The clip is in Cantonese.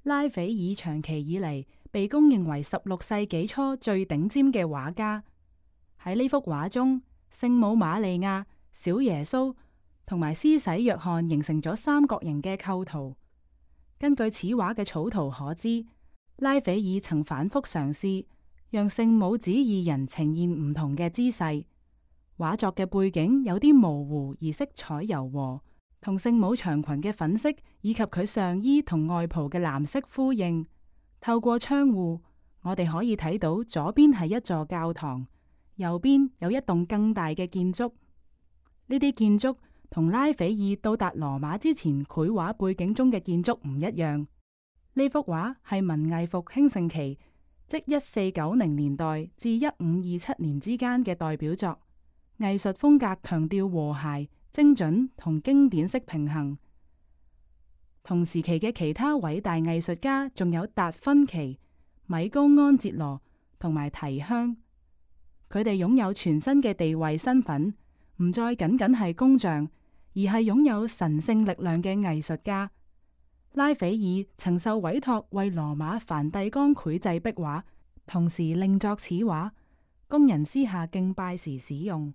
拉斐爾長期以嚟被公認為16世紀初最頂尖嘅畫家。喺呢幅畫中，聖母瑪利亞、小耶穌同埋施洗約翰形成咗三角形嘅構圖。根據此畫嘅草圖可知，拉斐爾曾反覆嘗試讓聖母子二人呈現唔同嘅姿勢。畫作嘅背景有啲模糊而色彩柔和，同聖母長裙嘅粉色以及佢上衣同外袍嘅藍色呼應。透過窗戶，我哋可以睇到左邊係一座教堂，右邊有一棟更大嘅建築。呢啲建築同拉斐爾到達羅馬之前繪畫背景中嘅建築唔一樣。呢幅畫係文藝復興盛期，即1490年代至1527年之間嘅代表作。藝術風格強調和諧、精準同經典式平衡。同時期嘅其他偉大藝術家仲有達芬奇、米高安哲羅同埋提香，佢哋擁有全新嘅地位身份，唔再僅僅係工匠，而係擁有神聖力量嘅藝術家。拉斐爾曾受委託為羅馬梵蒂岡繪製壁畫，同時另作此畫，供人私下敬拜時使用。